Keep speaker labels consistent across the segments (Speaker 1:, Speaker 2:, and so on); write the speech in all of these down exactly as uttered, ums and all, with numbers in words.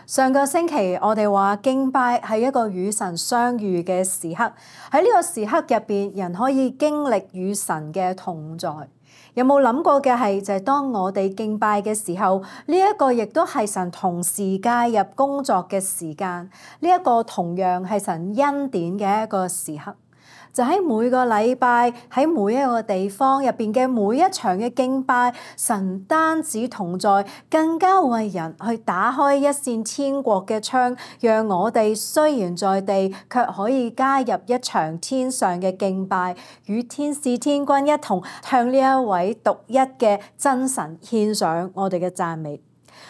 Speaker 1: 上個星期我哋話敬拜係一個與神相遇嘅時刻，喺呢個時刻入邊，人可以經歷與神嘅同在。有冇諗過嘅係就係當我哋敬拜嘅時候，呢一個亦都係神同時介入工作嘅時間，呢一個同樣係神恩典嘅一個時刻。就喺每個禮拜，喺每一個地方入邊嘅每一場嘅敬拜，神唔單止同在，更加為人去打開一扇天國嘅窗，讓我哋雖然在地，卻可以加入一場天上嘅敬拜，與天使天君一同向呢一位獨一嘅真神獻上我哋嘅讚美。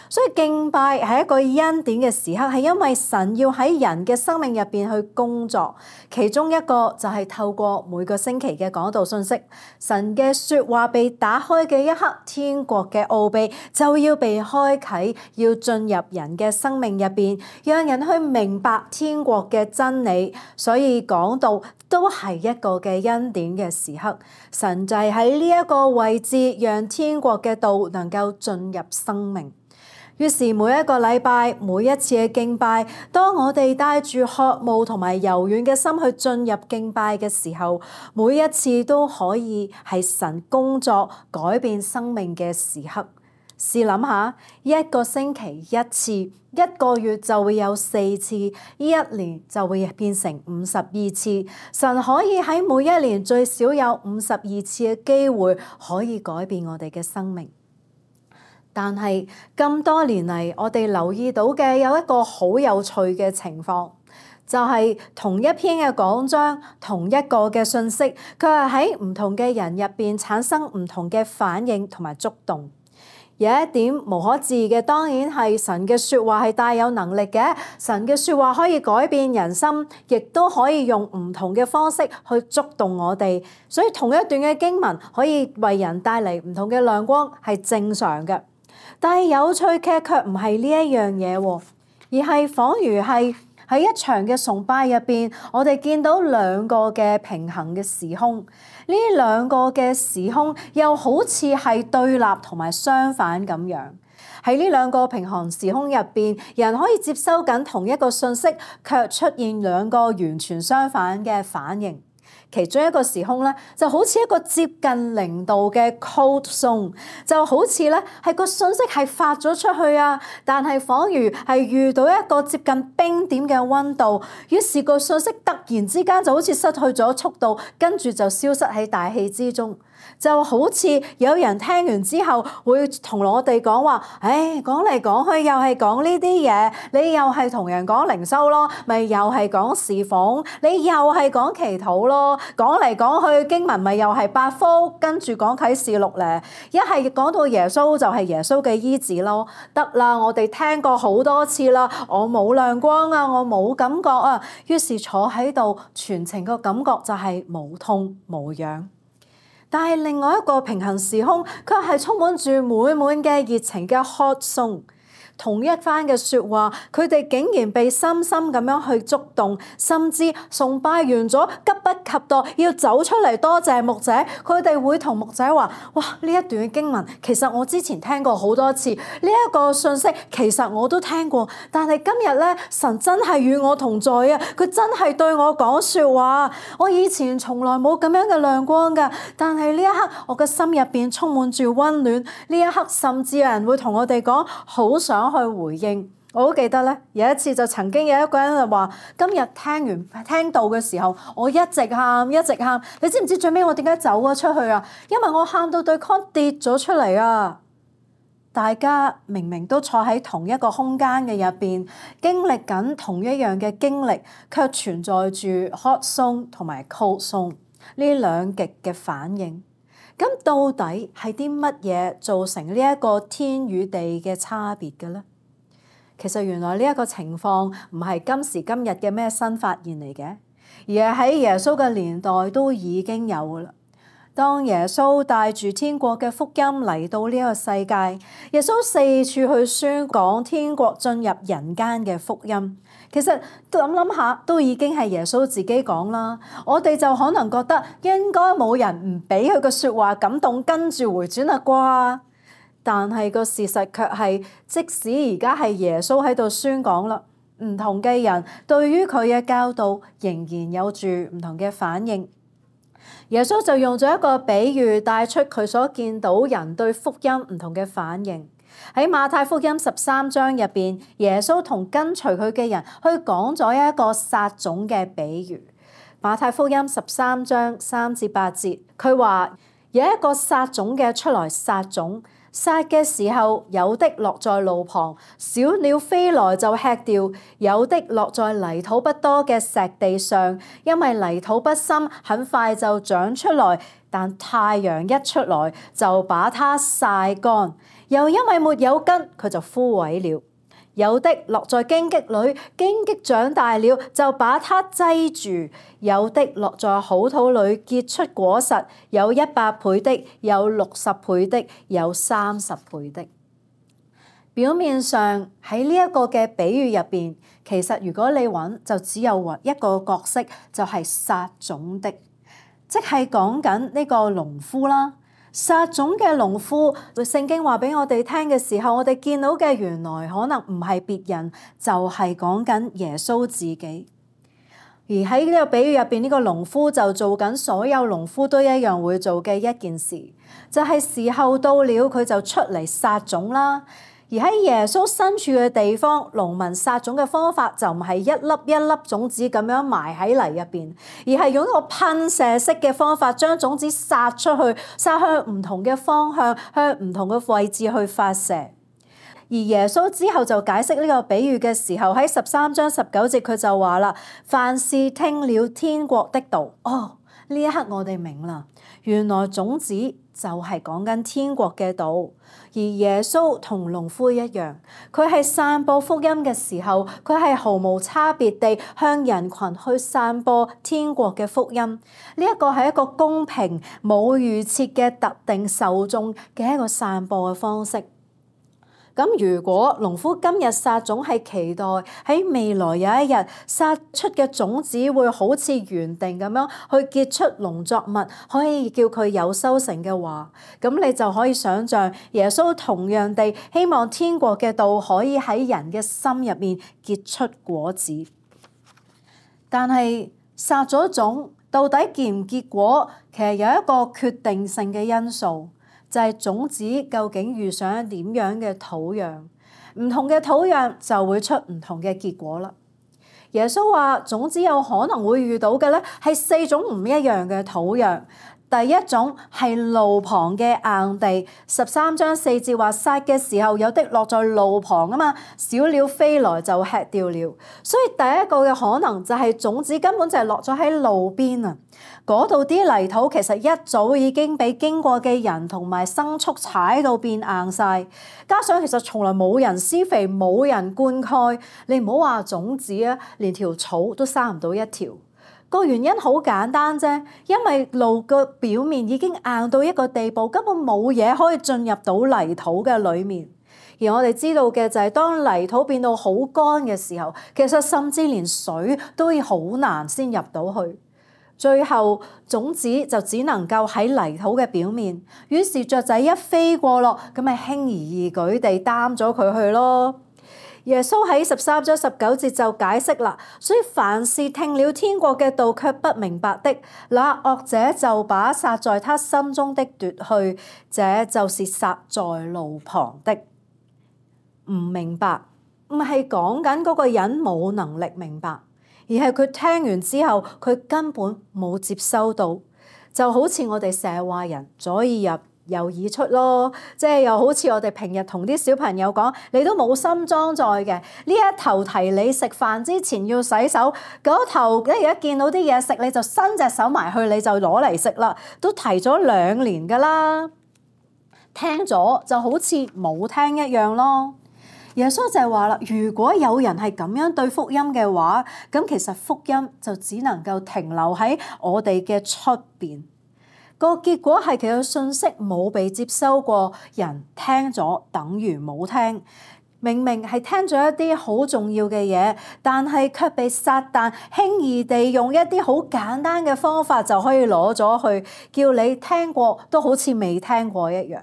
Speaker 1: 所以敬拜係一個恩典嘅時刻，係因為神要喺人嘅生命入邊去工作，其中一個就係透過每個星期嘅講道信息，神嘅說話被打開嘅一刻，天國嘅奧秘就要被開啟，要進入人嘅生命入邊，讓人去明白天國嘅真理。所以講道都係一個嘅恩典嘅時刻，神就係喺呢一個位置，讓天國嘅道能夠進入生命。於是每一個禮拜，每一次嘅敬拜，當我哋帶住渴慕同埋柔軟嘅心去進入敬拜嘅時候，每一次都可以係神工作改變生命嘅時刻。試諗下，一個星期一次，一個月就會有四次，一年就會變成五十二次。神可以喺每一年最少有五十二次嘅機會，可以改變我哋嘅生命。但係咁多年嚟，我哋留意到嘅有一個好有趣嘅情況，就係同一篇嘅講章，同一個嘅信息，佢係喺唔同嘅人入邊產生唔同嘅反應同埋觸動。有一點無可置疑嘅，當然係神嘅說話係帶有能力嘅，神嘅說話可以改變人心，亦都可以用唔同嘅方式去觸動我哋。所以同一段嘅經文可以為人帶嚟唔同嘅亮光，係正常嘅。但係有趣嘅卻唔係呢一樣嘢喎，而係仿如係喺一場嘅崇拜入邊，我哋見到兩個嘅平衡嘅時空，呢兩個嘅時空又好似係對立同埋相反咁樣。喺呢兩個平衡時空入邊，人可以接收緊同一個信息，卻出現兩個完全相反嘅反應。其中一個時空咧，就好似一個接近零度嘅 cold zone， 就好似咧係個信息係發咗出去啊，但係仿如係遇到一個接近冰點嘅溫度，於是個信息突然之間就好似失去咗速度，跟住就消失喺大氣之中。就好似有人聽完之後會同我哋講話，唉，講嚟講去又係講呢啲嘢，你又係同人講靈修咯，咪又係講侍奉，你又係講祈禱咯，講嚟講去經文咪又係八福，跟住講啟示錄咧，一係講到耶穌就係耶穌嘅醫治咯，得啦，我哋聽過好多次啦，我冇亮光啊，我冇感覺啊，於是坐喺度全程個感覺就係無痛無癢。但係另外一個平行時空，佢係充滿住滿滿嘅熱情嘅 hot zone。同一番嘅說話，佢哋竟然被深深咁樣去觸動，甚至崇拜完咗，急不及待要走出嚟多謝牧者。佢哋會同牧者話：哇，呢一段嘅經文其實我之前聽過好多次，呢一個信息其實我都聽過，但係今日咧，神真係與我同在啊！佢真係對我講說話，我以前從來冇咁樣嘅亮光噶，但係呢一刻我嘅心入邊充滿住溫暖。呢一刻甚至有人會同我哋講，好想去回應。我好記得咧，有一次就曾經有一個人就話：今日聽完聽到嘅時候，我一直喊一直喊。你知唔知最尾我點解走咗出去啊？因為我喊到對 con 跌咗出嚟啊！大家明明都坐喺同一個空間嘅入邊，經歷緊同一樣嘅經歷，卻存在住 hot zone 同埋 cold zone 呢兩極嘅反應。咁到底係啲乜嘢造成呢一個天與地嘅差別嘅咧？其實原來呢一個情況唔係今時今日嘅咩新發現嚟嘅，而係喺耶穌嘅年代都已經有㗎啦。當耶穌帶住天國嘅福音嚟到呢個世界，耶穌四處去宣講天國進入人間嘅福音。其實諗諗下，都已經係耶穌自己講啦。我哋就可能覺得應該冇人唔俾佢嘅說話感動，跟住回轉啦啩。但係個事實卻係，即使而家係耶穌喺度宣講啦，唔同嘅人對於佢嘅教導仍然有住唔同嘅反應。耶穌就用咗一個比喻帶出佢所見到人對福音唔同嘅反應。喺馬太福音十三章入邊，耶穌同跟隨佢嘅人去講咗一個撒種嘅比喻。馬太福音十三章三至八節，佢話有一個撒種嘅出來撒種。撒嘅時候，有的落在路旁，小鳥飛來就吃掉；有的落在泥土不多嘅石地上，因為泥土不深，很快就長出來。但太陽一出來，就把它曬乾；又因為沒有根，佢就枯萎了。有的落在荊棘裏，荊棘長大了，就把它擠住；有的落在好土裏，結出果實，有一百倍的，有六十倍的，有三十倍的。表面上喺呢一個嘅比喻入邊，其實如果你揾，就只有一個角色，就係撒種的，即係講緊呢個農夫啦。撒種嘅農夫，聖經話俾我哋聽嘅時候，我哋見到嘅原來可能唔係別人，就係講緊耶穌自己。而喺呢個比喻入邊，呢個農夫就做緊所有農夫都一樣會做嘅一件事，就係時候到了，佢就出嚟撒種啦。而喺耶穌身處嘅地方，農民撒種嘅方法就唔係一粒一粒種子咁樣埋喺泥入邊，而係用一個噴射式嘅方法，將種子撒出去，撒向唔同嘅方向，向唔同嘅位置去發射。而耶穌之後就解釋呢個比喻嘅時候，喺十三章十九節佢就話啦：凡是聽了天國的道，哦，呢一刻我哋明啦，原來種子就係講緊天國嘅道。而耶穌同農夫一樣，佢係散播福音嘅時候，佢係毫無差別地向人群去散播天國嘅福音。呢一個係一個公平冇預設嘅特定受眾嘅一個散播嘅方式。咁如果農夫今日撒種係期待喺未來有一日撒出嘅種子會好似原定咁樣去結出農作物，可以叫佢有收成嘅話，咁你就可以想像耶穌同樣地希望天國嘅道可以喺人嘅心入面結出果子。但係撒咗種到底結唔結果，其實有一個決定性嘅因素。就係種子究竟遇上點樣嘅土壤，唔同嘅土壤就會出唔同嘅結果啦。耶穌話種子有可能會遇到嘅咧係四種唔一樣嘅土壤。第一種係路旁嘅硬地，十三章四節話撒嘅時候，有的落在路旁啊嘛，小鳥飛來就吃掉了。所以第一個嘅可能就係種子根本就係落咗喺路邊啊，嗰度啲泥土其實一早已經俾經過嘅人同埋牲畜踩到變硬晒，加上其實從來冇人施肥，冇人灌溉，你唔好話種子啊，連條草都生唔到一條。個原因好簡單啫，因為路個表面已經硬到一個地步，根本冇嘢可以進入到泥土嘅裡面。而我哋知道嘅就係當泥土變到好乾嘅時候，其實甚至連水都要好難先入到去。最後種子就只能夠喺泥土嘅表面，於是雀仔一飛過落，咁咪輕而易舉地擔咗佢去咯。耶穌喺十三章十九節就解釋啦，所以凡是聽了天國嘅道卻不明白的，那惡者就把撒在他心中的奪去，這就是撒在路旁的。唔明白唔係講緊嗰個人冇能力明白，而係佢聽完之後佢根本冇接收到，就好似我哋成日話人左耳入右耳出咯，即係又好似我哋平日同啲小朋友講，你都冇心裝載嘅，呢一頭提你食飯之前要洗手，嗰頭一而家見到啲嘢食你就伸隻手埋去，你就攞嚟食啦，都提咗兩年噶啦，聽咗就好似冇聽一樣咯。耶穌就係話啦，如果有人係咁樣對福音嘅話，咁其實福音就只能夠停留喺我哋嘅出邊。個結果係其實信息冇被接收過，人聽咗等於冇聽。明明係聽咗一啲好重要嘅嘢，但係卻被撒旦輕易地用一啲好簡單嘅方法就可以攞咗去，叫你聽過都好似未聽過一樣。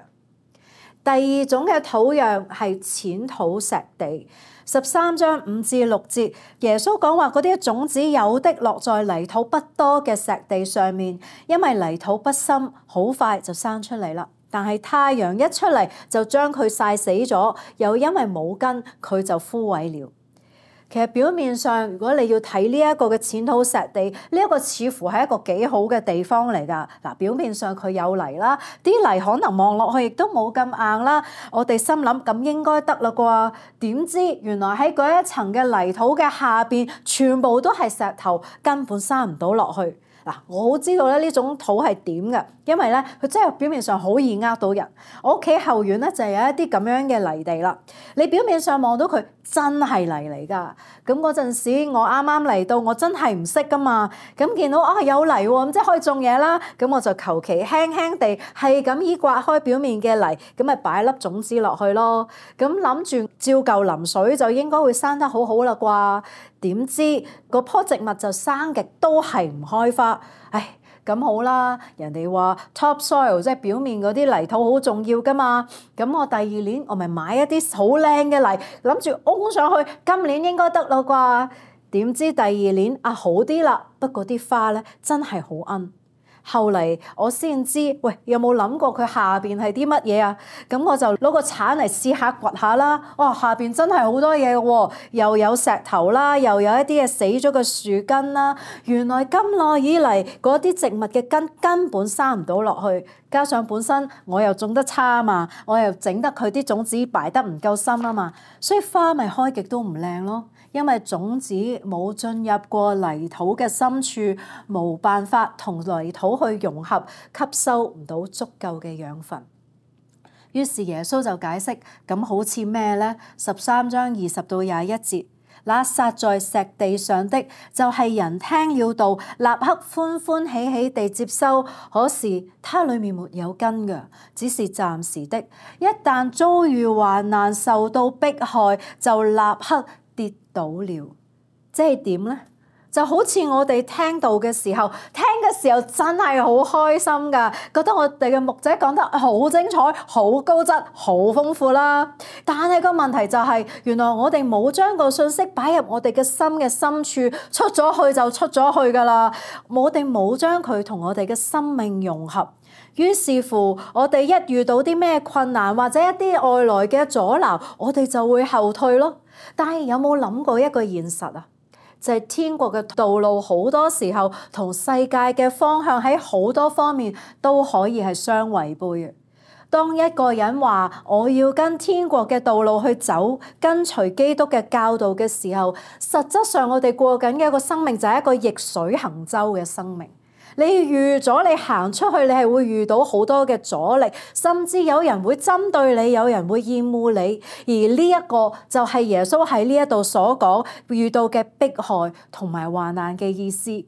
Speaker 1: 第二種嘅土壤係淺土石地。十三章五至六節，耶穌講話嗰啲種子有的落在泥土不多嘅石地上面，因為泥土不深，好快就生出嚟啦。但係太陽一出嚟就將佢曬死咗，又因為冇根，佢就枯萎了。其實表面上，如果你要睇呢一個嘅淺土石地，呢一個似乎係一個幾好嘅地方嚟㗎。嗱，表面上佢有泥啦，啲泥可能望落去亦都冇咁硬啦。我哋心諗咁應該得啦啩？點知原來喺嗰一層嘅泥土嘅下邊，全部都係石頭，根本生唔到落去。嗱，我好知道咧呢種土係點嘅，因為咧佢真係表面上好易呃到人。我屋企後院咧就係有一啲咁樣嘅泥地啦。你表面上望到佢真係泥嚟㗎。咁嗰陣時我啱啱嚟到，我真係唔識㗎嘛。咁見到啊有泥喎，咁即係可以種嘢啦。咁我就求其輕輕地係咁依刮開表面嘅泥，咁咪擺粒種子落去咯。咁諗住照舊淋水就應該會生得好好啦啩。點知嗰棵植物就生極都係唔開花，唉，咁好啦。人哋話 top soil 即係表面嗰啲泥土好重要㗎嘛，咁我第二年我咪買一啲好靚嘅泥，諗住擁上去，今年應該得啦啩。點知第二年啊好啲啦，不過啲花咧真係好奀。後嚟我先知，喂，有冇諗過佢下邊係啲乜嘢啊？咁我就攞個鏟嚟試下掘下啦。哇，下邊真係好多嘢嘅喎，又有石頭啦，又有一啲嘅死咗嘅樹根啦。原來咁耐以嚟嗰啲植物嘅根根本生唔到落去，加上本身我又種得差啊嘛，我又整得佢啲種子擺得唔夠深啊嘛，所以花咪開極都唔靚咯。因為種子冇進入過泥土嘅深處，冇辦法同泥土去融合，吸收唔到足夠嘅養分。於是耶穌就解釋，咁好似咩呢？十三章二十到廿一節，那撒在石地上的，就係、是、人聽了道，立刻歡歡喜喜地接收，可是它裡面沒有根嘅，只是暫時的。一旦遭遇患難，受到迫害，就立刻跌倒了。即係點呢？就好似我哋聽道嘅時候，聽嘅時候真係好開心㗎，覺得我哋嘅牧者講得好精彩、好高質、好豐富啦。但係個問題就係、是，原來我哋冇將個信息擺入我哋嘅心嘅深處，出咗去就出咗去㗎啦。我哋冇將佢同我哋嘅生命融合，於是乎我哋一遇到啲咩困難或者一啲外來嘅阻撓，我哋就會後退咯。但係有冇諗過一個現實啊？就係天國嘅道路好多時候同世界嘅方向喺好多方面都可以係相違背嘅。當一個人話我要跟天國嘅道路去走，跟隨基督嘅教導嘅時候，實質上我哋過緊嘅一個生命就係一個逆水行舟嘅生命。你預咗你行出去，你係會遇到好多嘅阻力，甚至有人會針對你，有人會厭惡你。而呢一個就係耶穌喺呢一度所講遇到嘅迫害同埋患難嘅意思。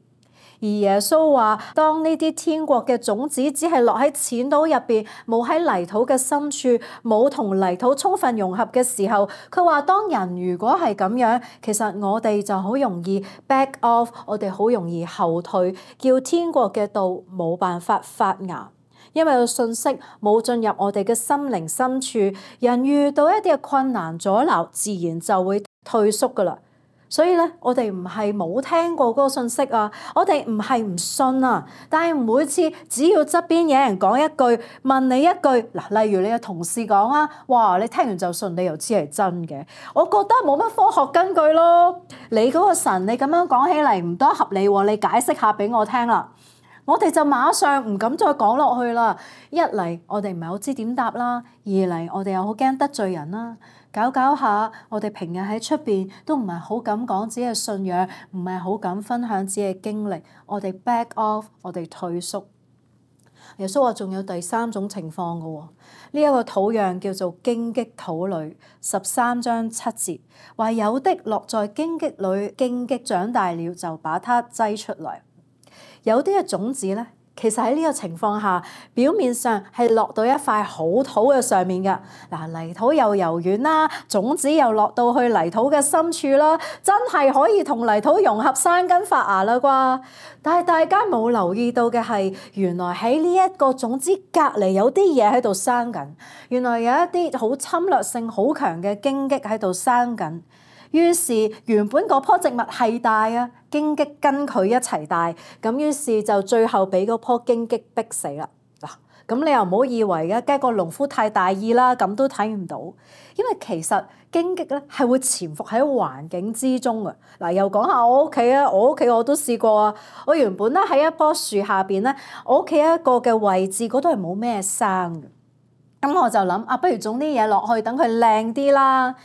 Speaker 1: 而耶穌話，當呢啲天國嘅種子只係落喺淺土入邊，冇喺泥土嘅深處，冇同泥土充分融合嘅時候，佢話當人如果係咁樣，其實我哋就好容易 back off， 我哋好容易後退，叫天國嘅道冇辦法發芽，因為個信息冇進入我哋嘅心靈深處，人遇到一啲嘅困難阻撓，自然就會退縮噶啦。所以咧，我哋唔係冇聽過嗰個信息啊，我哋唔係唔信啊，但係每次只要側邊有人講一句，問你一句，嗱，例如你嘅同事講啊，哇，你聽完就信，你又知係真嘅，我覺得冇乜科學根據咯。你嗰個神，你咁樣講起嚟唔多合理喎，你解釋下俾我聽啦。我哋就馬上唔敢再講落去啦。一嚟我哋唔係好知點答啦，二嚟我哋又好驚得罪人啦。搞搞下，我哋平日喺出邊都唔係好敢講自己嘅信仰，唔係好敢分享自己嘅經歷，我哋 back off， 我哋退縮。耶穌話仲有第三種情況嘅喎，呢一個土壤叫做荊棘土裏，十三章七節話有的落在荊棘裏，荊棘長大了就把它擠出來。有啲嘅種子咧，其實喺呢個情況下，表面上係落到一塊好土嘅上面嘅。嗱，泥土又柔軟啦，種子又落到去泥土嘅深處啦，真係可以同泥土融合生根發芽啦啩。但係大家冇留意到嘅係，原來喺呢一個種子隔離有啲嘢喺度生緊。原來有一啲好侵略性好強嘅荊棘喺度生緊。於是原本嗰棵植物係大啊，荊棘跟佢一齊大，咁於是就最後俾嗰棵荊棘逼死啦。嗱，咁你又唔好以為嘅，梗係個農夫太大意啦，咁都睇唔到。因為其實荊棘咧係會潛伏喺環境之中嘅。嗱，又講下我屋企啊，我屋企我都試過啊。我原本咧喺一棵樹下邊咧，我屋企一個嘅位置嗰度係冇咩生嘅。咁我就諗啊，不如種啲嘢落去，等佢靚啲啦。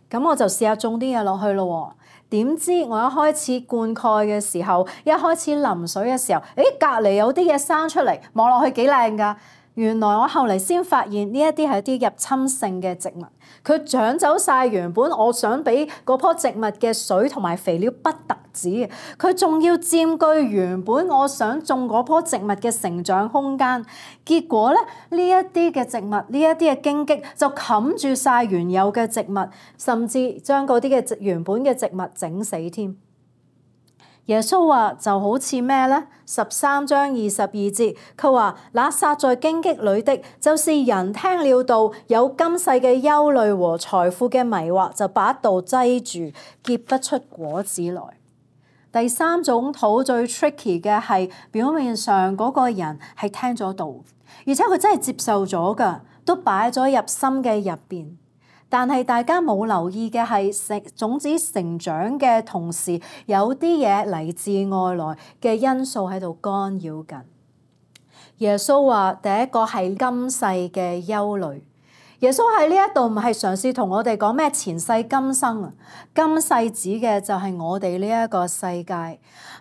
Speaker 1: 咁我就試下種啲嘢落去咯。點知我一開始灌溉嘅時候，一開始淋水嘅時候，誒隔離有啲嘢生出嚟，望落去幾靚㗎。原來我後嚟先發現呢一啲係一啲入侵性嘅植物，佢搶走晒原本我想俾嗰棵植物嘅水同埋肥料，不特止，佢仲要佔據原本我想種嗰棵植物嘅成長空間。結果咧，呢一啲嘅植物，呢一啲嘅荊棘就冚住晒原有嘅植物，甚至將嗰啲嘅原本嘅植物整死添。耶穌話就好似咩咧？十三章二十二節，佢話那撒在荊棘裏的，就是人聽了道，有今世嘅憂慮和財富嘅迷惑，就把道擠住，結不出果子來。第三種土最 tricky 嘅係表面上嗰個人係聽咗道，而且佢真係接受咗㗎，都擺咗入心嘅入邊。但係大家冇留意嘅係，成種子成長嘅同時，有啲嘢嚟自外來嘅因素喺度干擾緊。耶穌話：第一個係今世嘅憂慮。耶穌喺呢一度唔係嘗試同我哋講咩前世今生啊，今世指嘅就係我哋呢一個世界，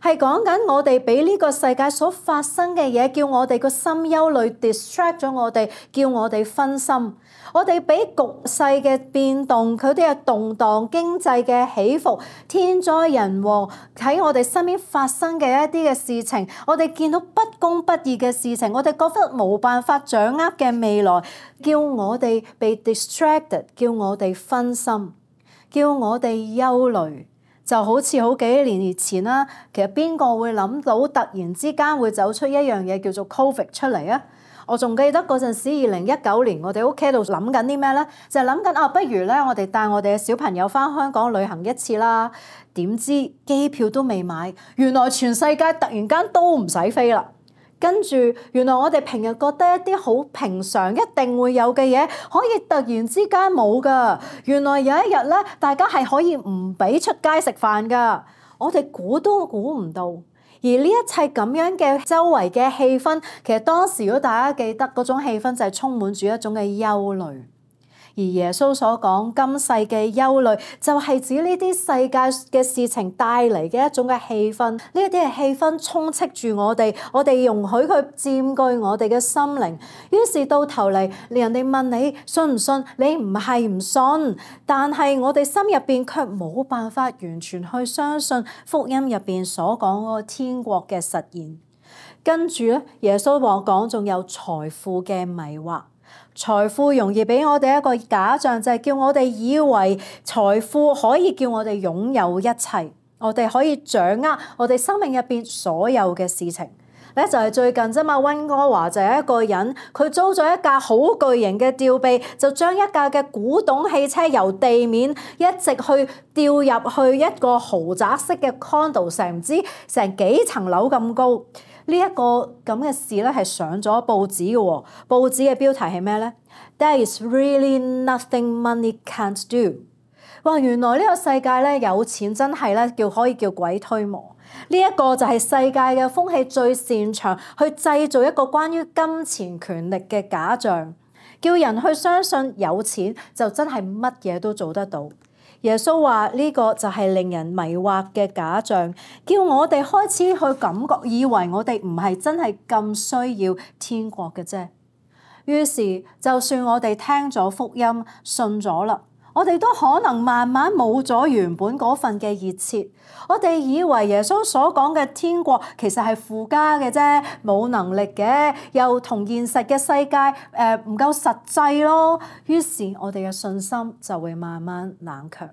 Speaker 1: 係講緊我哋俾呢個世界所發生嘅嘢，叫我哋個心憂慮 distract 咗我哋，叫我哋分心。我哋俾局勢嘅變動，佢哋嘅動盪、經濟嘅起伏、天災人禍喺我哋身邊發生嘅一啲嘅事情，我哋見到不公不義嘅事情，我哋覺得冇辦法掌握嘅未來，叫我哋被 distracted， 叫我哋分心，叫我哋憂慮。就好似好幾年前啦，其實邊個會諗到突然之間會走出一樣嘢叫做 Covid 出嚟啊？我仲記得嗰陣時，二零一九年，我哋屋企度諗緊啲咩咧？就係諗緊啊，不如咧，我哋帶我哋嘅小朋友翻香港旅行一次啦。點知機票都未買，原來全世界突然間都唔使飛啦。跟住原來我哋平日覺得一啲好平常一定會有嘅嘢，可以突然之間冇噶。原來有一日咧，大家係可以唔俾出街食飯噶。我哋估都估唔到。而呢一切咁樣嘅周圍嘅氣氛，其實當時如果大家記得嗰種氣氛就係充滿住一種嘅憂慮。而耶穌所講今世嘅憂慮，就係指呢啲世界嘅事情帶嚟嘅一種嘅氣氛。呢一啲嘅氣氛充斥住我哋，我哋容許佢佔據我哋嘅心靈。於是到頭嚟，人哋問你信唔信，你唔係唔信，但係我哋心入邊卻冇辦法完全去相信福音入邊所講嗰個天國嘅實現。跟住咧，耶穌話講仲有財富嘅迷惑。財富容易俾我哋一個假象，就係叫我哋以為財富可以叫我哋擁有一切，我哋可以掌握我哋生命入邊所有嘅事情。咧就係最近啫嘛，溫哥華就係一個人，佢租咗一架好巨型嘅吊臂，就將一架嘅古董汽車由地面一直去吊入去一個豪宅式嘅 condo， 成唔知成幾層樓咁高。呢一個咁嘅事咧係上咗報紙嘅喎，報紙嘅標題係咩咧 ？There is really nothing money can't do。哇！原來呢個世界咧有錢真係咧叫可以叫鬼推磨。呢一個就係世界嘅風氣最擅長去製造一個關於金錢權力嘅假象，叫人去相信有錢就真係乜嘢都做得到。耶穌話呢個就係令人迷惑嘅假象，叫我哋開始去感覺，以為我哋唔係真係咁需要天國嘅啫。於是就算我哋聽咗福音，信咗啦，我哋都可能慢慢冇咗原本嗰份嘅熱切。我哋以為耶穌所講嘅天國其實係附加嘅啫，冇能力嘅，又同現實嘅世界誒唔夠實際咯。於是我哋嘅信心就會慢慢冷卻。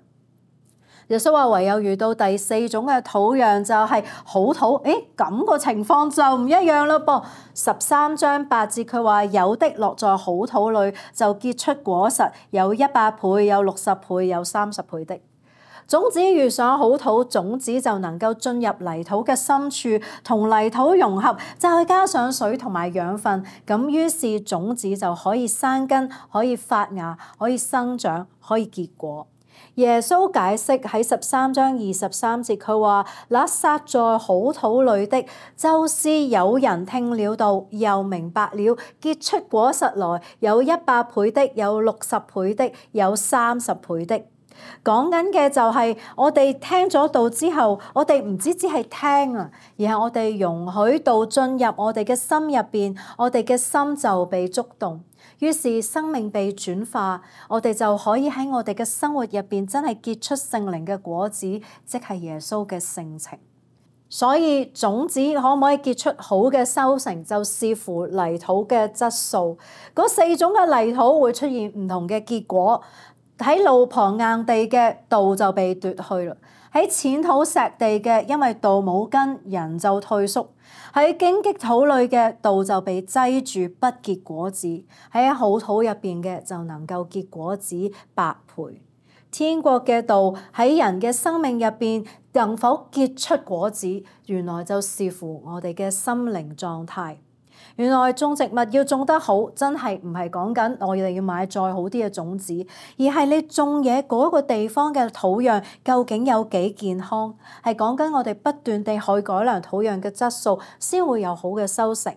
Speaker 1: 耶穌話唯有遇到第四種嘅土壤就係好土，誒咁個情況就唔一樣啦噃。十三章八節佢話有的落在好土裏就結出果實，有一百倍，有六十倍，有三十倍的。種子遇上好土，種子就能夠進入泥土嘅深處，同泥土融合，再加上水同埋養分，咁於是種子就可以生根，可以發芽，可以生長，可以結果。耶穌解釋喺十三章二十三節，佢話：那撒在好土裏的，就是有人聽了道，又明白了，結出果實來，有一百倍的，有六十倍的，有三十倍的。講緊嘅就係我哋聽咗道之後，我哋唔止只係聽啊，而係我哋容許道進入我哋嘅心入邊，我哋嘅心就被觸動，於是生命被轉化，我哋就可以喺我哋嘅生活入邊真係結出聖靈嘅果子，即係耶穌嘅性情。所以種子可唔可以結出好嘅收成，就視乎泥土嘅質素。嗰四種嘅泥土會出現唔同嘅結果。喺路旁硬地嘅道就被奪去啦，喺淺土石地嘅，因為道冇根，人就退縮；喺荊棘土裏嘅道就被擠住，不結果子；喺好土入邊嘅就能夠結果子百倍。天國嘅道喺人嘅生命入邊能否結出果子，原來就視乎我哋嘅心靈狀態。原來種植物要種得好，真係唔係講緊我哋要買再好啲嘅種子，而係你種嘢嗰個地方嘅土壤究竟有幾健康，係講緊我哋不斷地去改良土壤嘅質素，先會有好嘅收成。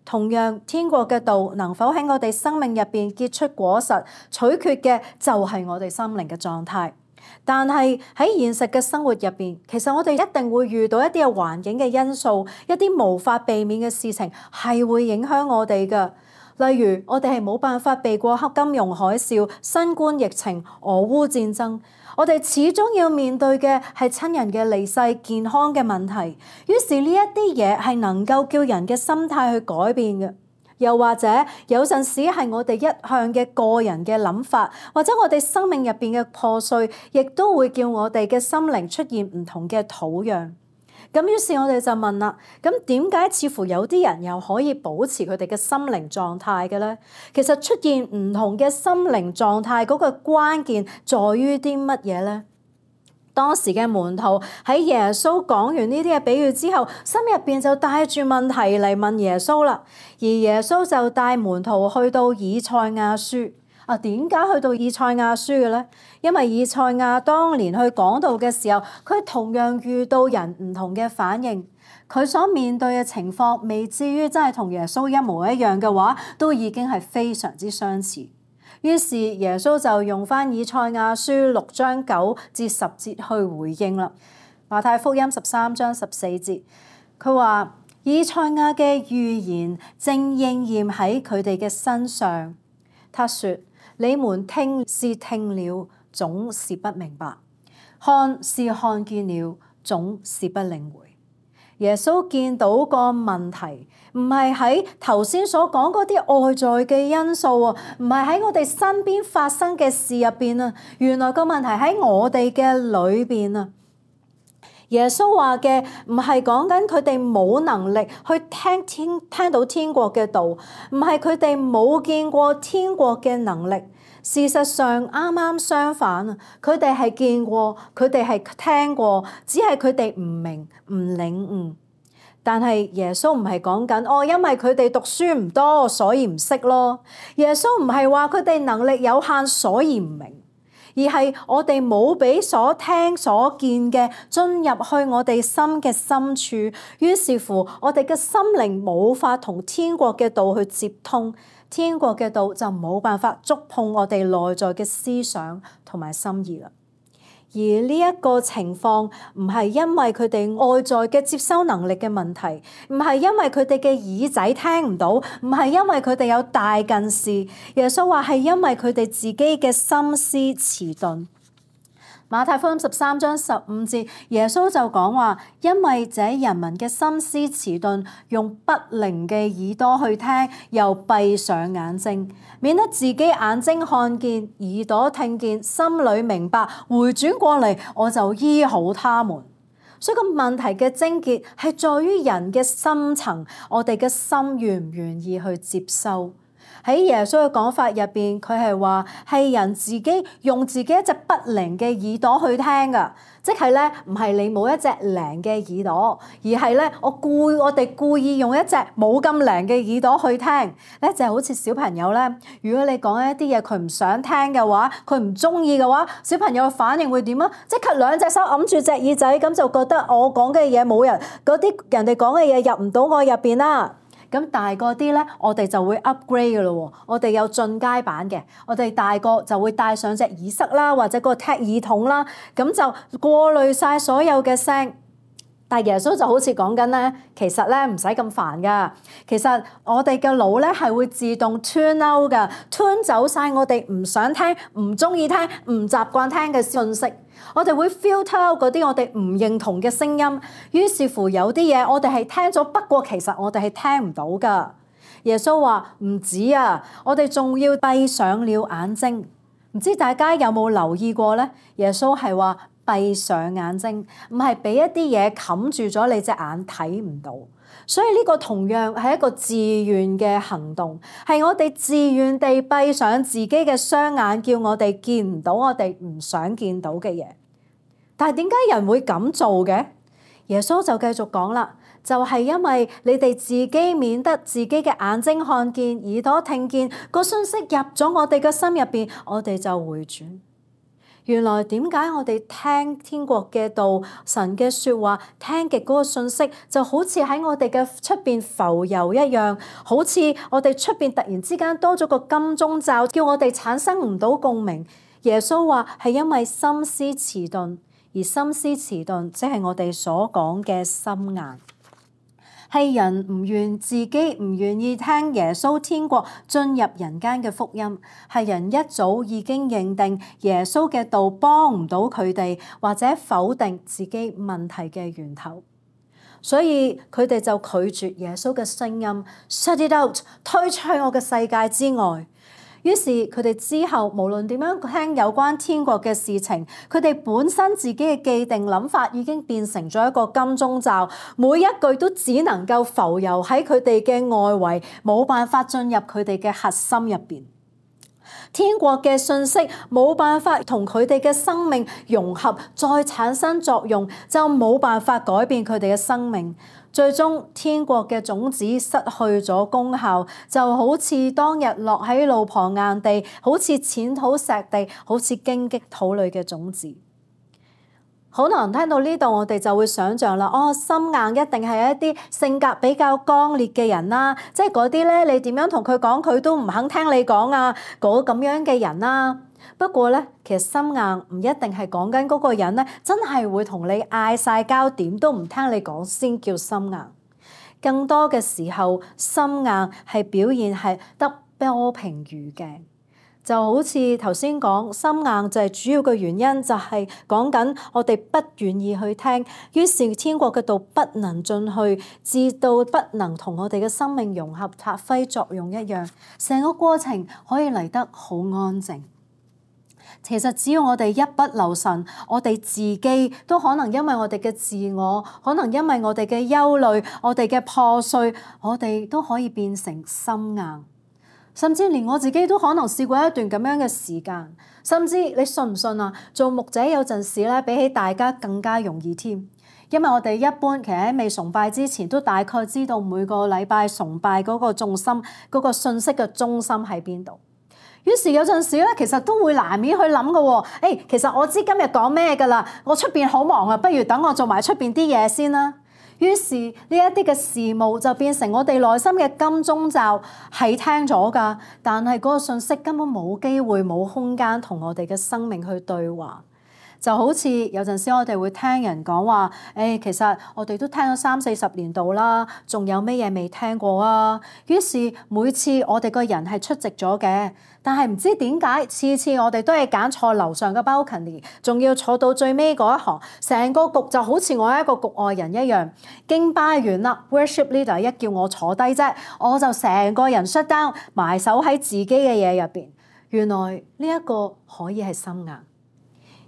Speaker 1: 同樣，天國嘅道能否喺我哋生命入邊結出果實，取決嘅就係我哋心靈嘅狀態。但係喺現實嘅生活入邊，其實我哋一定會遇到一啲嘅環境嘅因素，一啲無法避免嘅事情係會影響我哋㗎。例如，我哋係冇辦法避過黑金融海嘯、新冠疫情、俄烏戰爭，我哋始終要面對嘅係親人嘅離世、健康嘅問題。於是呢一啲嘢係能夠叫人嘅心態去改變嘅。又或者有陣時係我哋一向嘅個人嘅諗法，或者我哋生命入邊嘅破碎，亦都會叫我哋嘅心靈出現唔同嘅土壤。咁於是我哋就問啦，咁點解似乎有啲人又可以保持佢哋嘅心靈狀態嘅咧？其實出現唔同嘅心靈狀態嗰個關鍵在於啲乜嘢咧？當時嘅門徒喺耶穌講完呢啲嘅比喻之後，心入邊就帶住問題嚟問耶穌啦。而耶穌就帶門徒去到以賽亞書。啊，點解去到以賽亞書嘅咧？因為以賽亞當年去講道嘅時候，佢同樣遇到人唔同嘅反應，佢所面對嘅情況未至於真係同耶穌一模一樣嘅話，都已經係非常之相似。於是耶穌就用返以賽亞書六章九至十節去回應啦。馬太福音十三章十四節，佢話以賽亞嘅預言正應驗喺佢哋嘅身上。他說：你們聽是聽了，總是不明白；看是看見了，總是不領會。耶穌見到個問題，唔係喺頭先所講嗰啲外在嘅因素啊，唔係喺我哋身邊發生嘅事入邊啊，原來個問題喺我哋嘅裏邊啊。耶穌話嘅唔係講緊佢哋冇能力去聽天聽到天國嘅道，唔係佢哋冇見過天國嘅能力。事實上啱啱相反啊，佢哋係見過，佢哋係聽過，只係佢哋唔明唔領悟。但係耶穌唔係講緊哦，因為佢哋讀書唔多，所以唔識咯。耶穌唔係話佢哋能力有限，所以唔明，而係我哋冇俾所聽所見嘅進入去我哋心嘅深處，於是乎我哋嘅心靈冇法同天國嘅道去接通。天國嘅道就冇辦法觸碰我哋內在嘅思想同埋心意啦。而呢一個情況唔係因為佢哋外在嘅接收能力嘅問題，唔係因為佢哋嘅耳仔聽唔到，唔係因為佢哋有大近視。耶穌話係因為佢哋自己嘅心思遲鈍。馬太福音十三章十五節，耶穌就講話，因為這人民嘅心思遲鈍，用不靈嘅耳朵去聽，又閉上眼睛，免得自己眼睛看見，耳朵聽見，心裏明白，回轉過嚟，我就醫好他們。所以個問題嘅症結係在於人嘅深層，我哋嘅心願唔願意去接收。喺耶穌嘅講法入邊，佢係話係人自己用自己一隻不靈嘅耳朵去聽㗎，即係咧唔係你冇一隻靈嘅耳朵，而係咧我故我哋故意用一隻冇咁靈嘅耳朵去聽咧，就係好似小朋友咧，如果你講一啲嘢佢唔想聽嘅話，佢唔中意嘅話，小朋友嘅反應會點啊？即刻兩隻手揞住隻耳仔，咁就覺得我講嘅嘢冇人嗰啲人哋講嘅嘢入唔到我入邊啦。咁大個啲咧，我哋就會 upgrade 嘅咯喎，我哋有進階版嘅，我哋大個就會戴上隻耳塞啦，或者個踢耳筒啦，咁就過濾晒所有嘅聲。但係耶穌就好似講緊咧，其實咧唔使咁煩噶，其實我哋嘅腦咧係會自動 turn out 噶 turn 走晒我哋唔想聽、唔中意聽、唔習慣聽嘅信息。我哋會 filter out 嗰啲我哋唔認同嘅聲音，於是乎有啲嘢我哋係聽咗，不過其實我哋係聽唔到㗎。耶穌話唔止啊，我哋仲要閉上了眼睛。唔知大家有冇留意過咧？耶穌係話閉上眼睛，唔係俾一啲嘢冚住咗你隻眼睇唔到。所以呢個同樣係一個自願嘅行動，係我哋自願地閉上自己嘅雙眼，叫我哋見唔到我哋唔想見到嘅嘢。但係點解人會咁做嘅？耶穌就繼續講啦，就係因為你哋自己免得自己嘅眼睛看見、耳朵聽見，個信息入咗我哋嘅心入邊，我哋就回轉。原來點解我哋聽天國嘅道、神嘅説話，聽極嗰個信息就好似喺我哋嘅出邊浮游一樣，好似我哋出邊突然之間多咗個金鐘罩，叫我哋產生唔到共鳴。耶穌話係因為心思遲鈍，而心思遲鈍即係我哋所講嘅心硬。係人唔願自己唔願意聽耶穌天國進入人間嘅福音，係人一早已經認定耶穌嘅道幫唔到佢哋，或者否定自己問題嘅源頭，所以佢哋就拒絕耶穌嘅聲音 ，shut it out， 推出去我嘅世界之外。於是佢哋之後無論點樣聽有關天國嘅事情，佢哋本身自己嘅既定諗法已經變成咗一個金鐘罩，每一句都只能夠浮游喺佢哋嘅外圍，冇辦法進入佢哋嘅核心入邊。天國嘅信息冇辦法同佢哋嘅生命融合，再產生作用，就冇辦法改變佢哋嘅生命。最終天國嘅種子失去咗功效，就好似當日落喺路旁硬地，好似淺土石地，好似荊棘土裏嘅種子。可能聽到呢度，我哋就會想像啦，哦，心硬一定係一啲性格比較剛烈嘅人啦，即係嗰啲咧，你點樣同佢講，佢都唔肯聽你講啊，嗰咁樣嘅人啦。不過咧，其實心硬唔一定係講緊嗰個人咧，真係會同你嗌晒交，點都唔聽你講先叫心硬。更多嘅時候，心硬係表現係得多評如鏡，就好似頭先講，心硬就係主要嘅原因，就係講緊我哋不願意去聽，於是天國嘅道不能進去，至到不能同我哋嘅生命融合發揮作用一樣，成個過程可以嚟得好安靜。其實只要我哋一不留神，我哋自己都可能因為我哋嘅自我，可能因為我哋嘅憂慮，我哋嘅破碎，我哋都可以變成心硬。甚至連我自己都可能試過一段咁樣嘅時間。甚至你信唔信啊？做牧者有陣時咧，比起大家更加容易添，因為我哋一般其實喺未崇拜之前，都大概知道每個禮拜崇拜嗰個重心、嗰個信息嘅中心喺邊度。於是有陣時咧，其實都會難免去諗嘅喎。誒，其實我知今日講咩㗎啦，我出邊好忙啊，不如等我做埋出邊啲嘢先啦。於是呢一啲嘅事務就變成我哋內心嘅金鐘罩，係聽咗㗎，但係嗰個信息根本冇機會、冇空間同我哋嘅生命去對話。就好似有陣時我哋會聽人講話，誒、哎、其實我哋都聽咗三四十年度啦，仲有咩嘢未聽過啊？於是每次我哋個人係出席咗嘅，但係唔知點解次次我哋都係揀錯樓上嘅 balcony，仲要坐到最尾嗰一行，成個局就好似我一個局外人一樣。敬拜完啦 ，worship leader 一叫我坐低啫，我就成個人 shut down，埋手喺自己嘅嘢入邊。原來呢一個可以係心硬。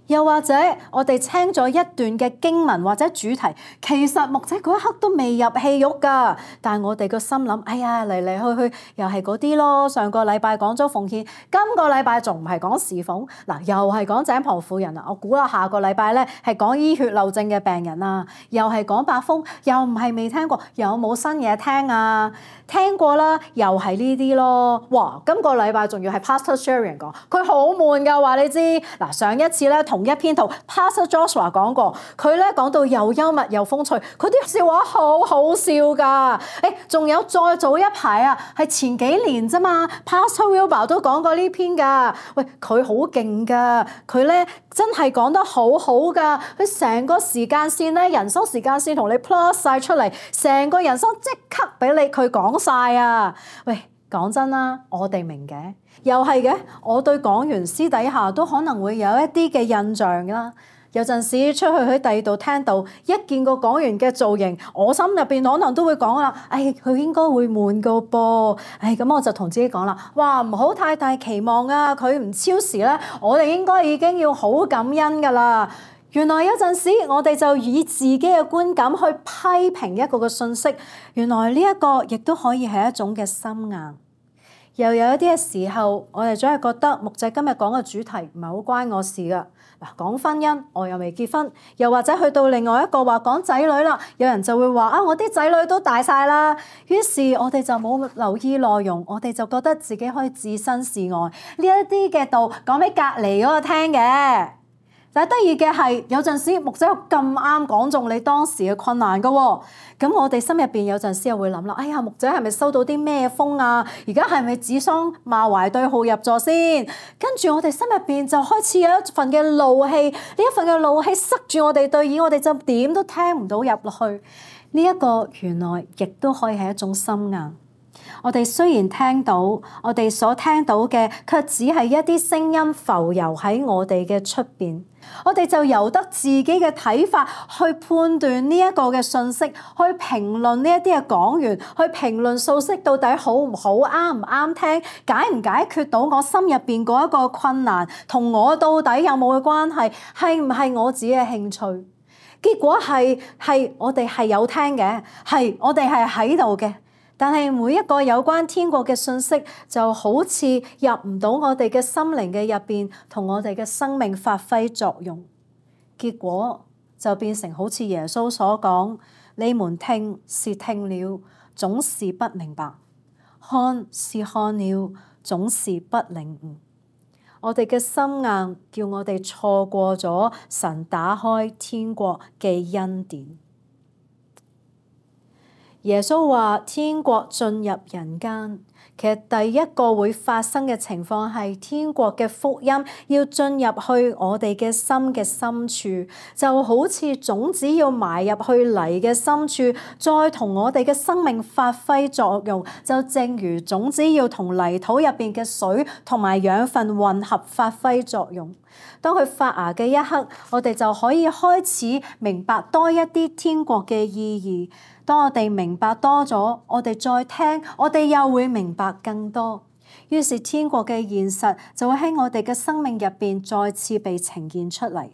Speaker 1: 又或者我哋聽咗一段嘅經文或者主題，其實牧者嗰一刻都未入戲肉㗎，但係我哋個心諗，哎呀嚟嚟去去又係嗰啲咯。上個禮拜講咗奉獻，今個禮拜仲唔係講侍奉？嗱，又係講井旁婦人啊！我估啦，下個禮拜咧係講醫血漏症嘅病人啊，又係講八風，又唔係未聽過，有冇新嘢聽啊？聽過啦，又係呢啲咯。哇！今個禮拜仲要係 Pastor Sharon 講，佢好悶㗎，話你知。嗱，上一次咧同一篇圖 Pastor Joshua 講過，佢咧講到又幽默又風趣，佢啲笑話好好笑㗎。誒，仲有再早一排啊，係前幾年啫嘛 Pastor Wilbur 都講過呢篇㗎。喂，佢好勁㗎，佢咧真係講得好好㗎。佢成個時間線咧，人生時間線同你 plus 晒出嚟，成個人生即刻俾你佢講晒啊！喂，講真啦，我哋明嘅，又係嘅。我對講員私底下都可能會有一啲嘅印象啦。有陣時出去喺第二度聽到，一見個講員嘅造型，我心入邊可能都會講啦，誒，佢應該會悶個噃。誒，咁我就同自己講啦，哇，唔好太大期望啊！佢唔超時咧，我哋應該已經要好感恩㗎啦。原來有陣時我哋就以自己嘅觀感去批評一個嘅信息，原來呢一個亦都可以係一種嘅心硬。又有一啲嘅時候，我哋總係覺得牧者今日講嘅主題唔係好關我事㗎。嗱，講婚姻，我又未結婚，又或者去到另外一個話講仔女啦，有人就會話啊，我啲仔女都大晒啦。於是我哋就冇留意內容，我哋就覺得自己可以置身事外，呢一啲嘅道講俾隔離嗰個聽嘅。但係得意嘅係，有陣時牧者咁啱講中你當時嘅困難㗎喎，咁我哋心入邊有陣時又會諗啦，哎呀，牧者係咪收到啲咩風啊？而家係咪指桑罵槐對號入座先？跟住我哋心入邊就開始有一份嘅怒氣，呢一份嘅怒氣塞住我哋對耳，我哋就點都聽唔到入落去。呢一個原來亦都可以係一種心硬。我哋雖然聽到，我哋所聽到嘅卻只係一啲聲音浮遊喺我哋嘅出邊，我哋就由得自己嘅睇法去判斷呢一個嘅信息，去評論呢一啲嘅講員，去評論信息到底好唔好，啱唔啱聽，解唔解決到我心入邊嗰一個困難，同我到底有冇嘅關係，係唔係我自己嘅興趣？結果係係我哋係有聽嘅，係我哋係喺度嘅。但係每一個有關天國嘅信息，就好似入唔到我哋嘅心靈嘅入邊，同我哋嘅生命發揮作用。結果就變成好似耶穌所講：你們聽是聽了，總是不明白；看是看了，總是不領悟。我哋嘅心硬，叫我哋錯過咗神打開天國嘅恩典。耶穌話天國進入人間，其實第一個會發生嘅情況係天國嘅福音要進入去我哋嘅心嘅深處，就好似種子要埋入去泥嘅深處，再同我哋嘅生命發揮作用，就正如種子要同泥土入邊嘅水同埋養分混合發揮作用。當佢發芽嘅一刻，我哋就可以開始明白多一啲天國嘅意義。當我哋明白多咗，我哋再聽，我哋又會明白更多。於是天國嘅現實就會喺我哋嘅生命入邊再次被呈現出嚟。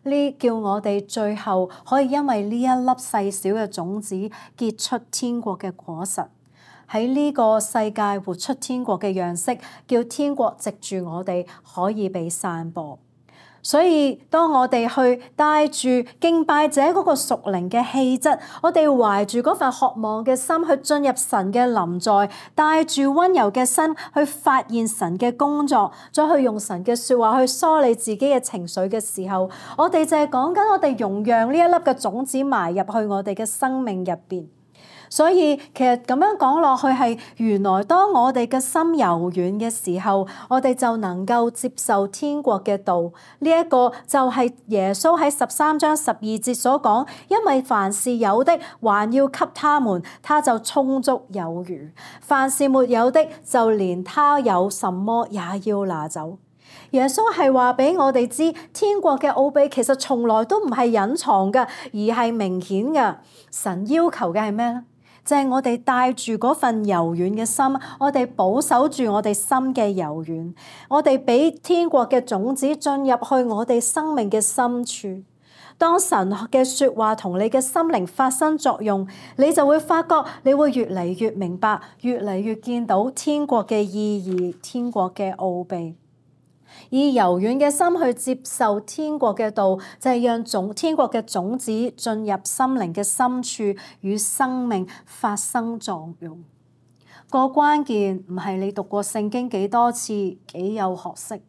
Speaker 1: 呢叫我哋最後可以因為呢一粒細小嘅種子結出天國嘅果實，喺呢個世界活出天國嘅樣式，叫天國藉住我哋可以被散播。所以當我哋去帶住敬拜者嗰個屬靈嘅氣質，我哋懷住嗰份渴望嘅心去進入神嘅臨在，帶住溫柔嘅心去發現神嘅工作，再去用神嘅說話去梳理自己嘅情緒嘅時候，我哋就係講緊我哋容讓呢一粒嘅種子埋入去我哋嘅生命入邊。所以其實咁樣講落去係，原來當我哋嘅心柔軟嘅時候，我哋就能夠接受天國嘅道。呢一個就係耶穌喺十三章十二節所講，因為凡是有的，還要給他們，他就充足有餘；凡是沒有的，就連他有什麼也要拿走。耶穌係話俾我哋知，天國嘅奧秘其實從來都唔係隱藏嘅，而係明顯嘅。神要求嘅係咩咧？就係我哋帶住嗰份柔軟嘅心，我哋保守住我哋心嘅柔軟，我哋俾天國嘅種子進入去我哋生命嘅深處。當神嘅說話同你嘅心靈發生作用，你就會發覺你會越嚟越明白，越嚟越見到天國嘅意義，天國嘅奧秘。以柔軟嘅心去接受天國嘅道，就係讓種天國嘅種子進入心靈嘅深處，與生命發生作用。個關鍵唔係你讀過聖經幾多次，幾有學識。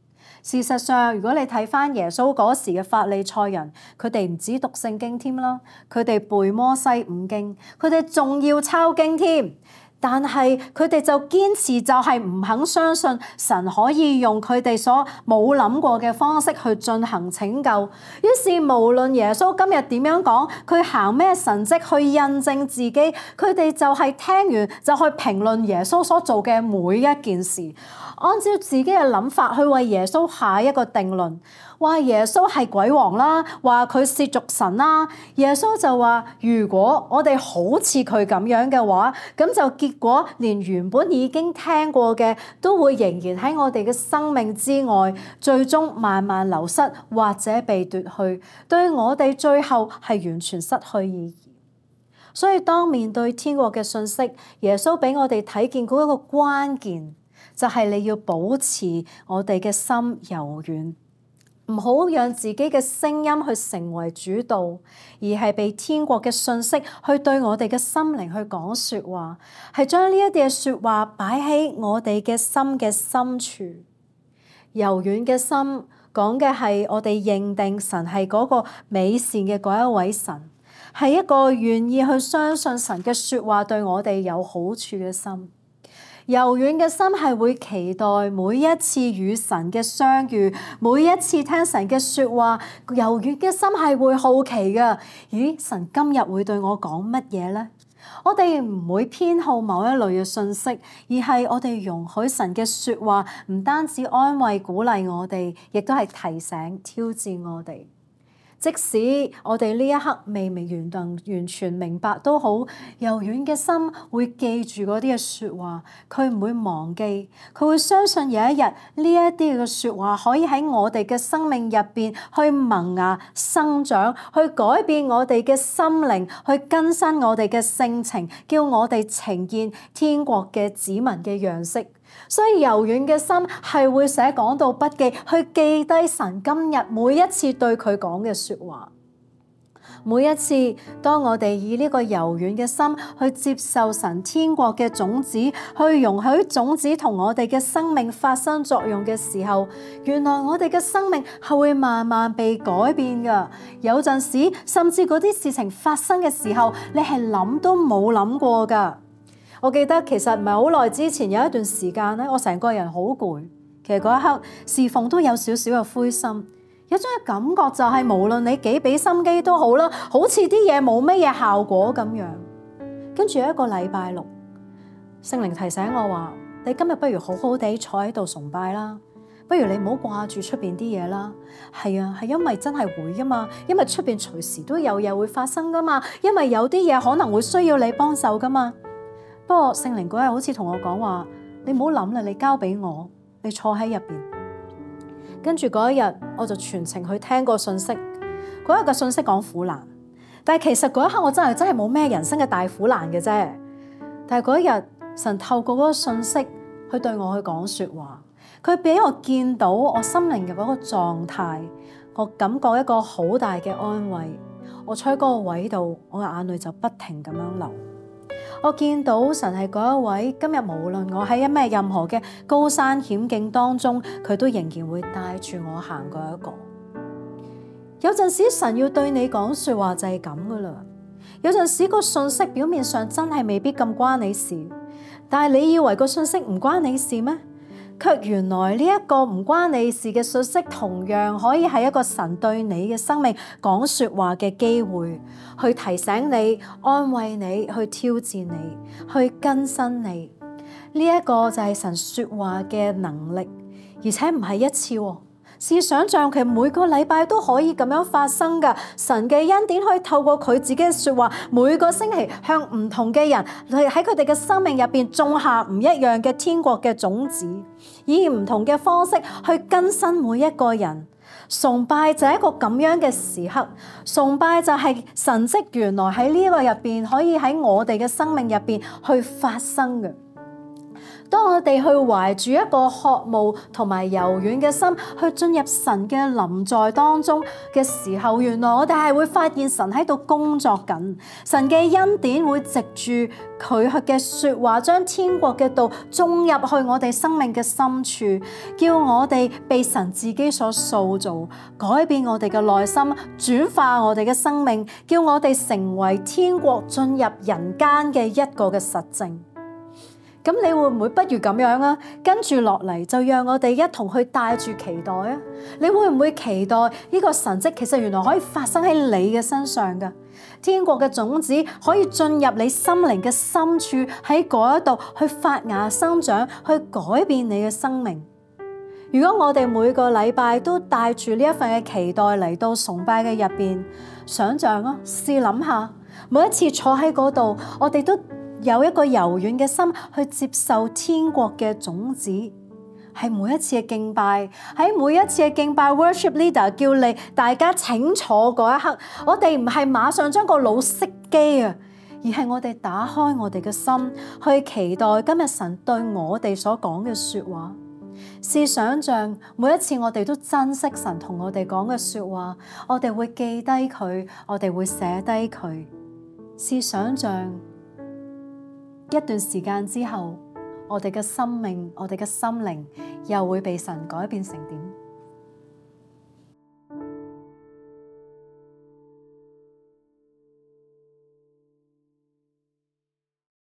Speaker 1: 事實上，如果你睇翻耶穌嗰時嘅法利賽人，佢哋唔止讀聖經添啦，佢哋背摩西五經，佢哋仲要抄經添。但係佢哋就堅持，就係唔肯相信神可以用佢哋所冇諗過嘅方式去進行拯救。於是無論耶穌今日點樣講，佢行咩神蹟去印證自己，佢哋就係聽完就去評論耶穌所做嘅每一件事，按照自己嘅諗法去為耶穌下一個定論。話耶穌係鬼王啦，話佢褻瀆神啦。耶穌就話：如果我哋好似佢咁樣嘅話，咁就結果連原本已經聽過嘅都會仍然喺我哋嘅生命之外，最終慢慢流失或者被奪去，對我哋最後係完全失去意義。所以當面對天國嘅信息，耶穌俾我哋睇見嗰一個關鍵，就係你要保持我哋嘅心柔軟。唔好讓自己嘅聲音去成為主導，而係被天國嘅信息去對我哋嘅心靈去講說話，係將呢一啲嘅說話擺喺我哋嘅心嘅深處。柔軟嘅心講嘅係我哋認定神係嗰個美善嘅嗰一位神，係一個願意去相信神嘅說話對我哋有好處嘅心。柔軟嘅心係會期待每一次與神嘅相遇，每一次聽神嘅說話。柔軟嘅心係會好奇嘅，咦，神今日會對我講乜嘢呢？我哋唔會偏好某一類嘅信息，而係我哋容許神嘅說話唔單止安慰鼓勵我哋，亦都係提醒挑戰我哋。即使我哋呢一刻未未完全完全明白都好，柔軟嘅心會記住嗰啲嘅說話，佢唔會忘記，佢會相信有一日呢一啲嘅說話可以喺我哋嘅生命入邊去萌芽生長，去改變我哋嘅心靈，去更新我哋嘅性情，叫我哋呈現天國嘅子民嘅樣式。所以柔軟嘅心係會寫講道筆記，去記低神今日每一次對佢講嘅說話。每一次當我哋以呢個柔軟嘅心去接受神天國嘅種子，去容許種子同我哋嘅生命發生作用嘅時候，原來我哋嘅生命係會慢慢被改變㗎。有陣時甚至嗰啲事情發生嘅時候，你係諗都冇諗過㗎。我記得其實唔係好耐之前有一段時間咧，我成個人好攰。其實嗰一刻侍奉都有少少嘅灰心，有種嘅感覺就係無論你幾俾心機都好啦，好似啲嘢冇乜嘢效果咁樣。跟住有一個禮拜六，聖靈提醒我話：你今日不如好好地坐喺度崇拜啦，不如你唔好掛住出邊啲嘢啦。係啊，係因為真係會噶嘛，因為出邊隨時都有嘢會發生噶嘛，因為有啲嘢可能會需要你幫手噶嘛。不過聖靈嗰日好似同我講話，你唔好諗啦，你交俾我，你坐喺入邊。跟住嗰一日，我就全程去聽個信息。嗰日嘅信息講苦難，但係其實嗰一刻我真係真係冇咩人生嘅大苦難嘅啫。但係嗰一日，神透過嗰個信息去對我去講說話，佢俾我見到我心靈嘅嗰個狀態，我感覺一個好大嘅安慰。我坐喺嗰個位度，我嘅眼淚就不停咁樣流。我見到神係嗰一位，今日無論我喺咩任何嘅高山險境當中，佢都仍然會帶住我行過一個。有陣時神要對你講說話就係咁噶啦，有陣時個信息表面上真係未必咁關你事，但係你以為個信息唔關你事咩？卻原來呢一個唔關你事嘅信息，同樣可以係一個神對你嘅生命講說話嘅機會，去提醒你、安慰你、去挑戰你、去更新你。呢一個就係神說話嘅能力，而且唔係一次喎。試想象其實每個禮拜都可以咁樣發生㗎。神嘅恩典可以透過佢自己嘅說話，每個星期向唔同嘅人喺佢哋嘅生命入邊種下唔一樣嘅天國嘅種子，以唔同嘅方式去更新每一個人。崇拜就係一個咁樣嘅時刻，崇拜就係神蹟原來喺呢個入邊可以喺我哋嘅生命入邊去發生嘅。當我哋去懷住一個渴慕同埋柔軟嘅心去進入神嘅臨在當中嘅時候，原來我哋係會發現神喺度工作緊，神嘅恩典會藉住佢嘅說話將天國嘅道種入去我哋生命嘅深處，叫我哋被神自己所塑造，改變我哋嘅內心，轉化我哋嘅生命，叫我哋成為天國進入人間嘅一個嘅實證。咁你會唔會不如咁樣啊？跟住落嚟就讓我哋一同去帶住期待啊！你會唔會期待呢個神蹟其實原來可以發生喺你嘅身上㗎？天國嘅種子可以進入你心靈嘅深處，喺嗰一度去發芽生長，去改變你嘅生命。如果我哋每個禮拜都帶住呢一份嘅期待嚟到崇拜嘅入邊，想象啊，試諗下，每一次坐喺嗰度，我哋都有一個柔軟嘅心去接受天國嘅種子，係每一次嘅敬拜，喺每一次嘅敬拜 worship leader 叫你大家請坐嗰一刻，我哋唔係馬上將個腦熄機啊，而係我哋打開我哋嘅心去期待今日神對我哋所講嘅說話。試想象每一次我哋都珍惜神同我哋講嘅說話，我哋會記低佢，我哋會寫低佢。試想象一段時間之後，我哋嘅生命、我哋嘅心靈又會被神改變成點？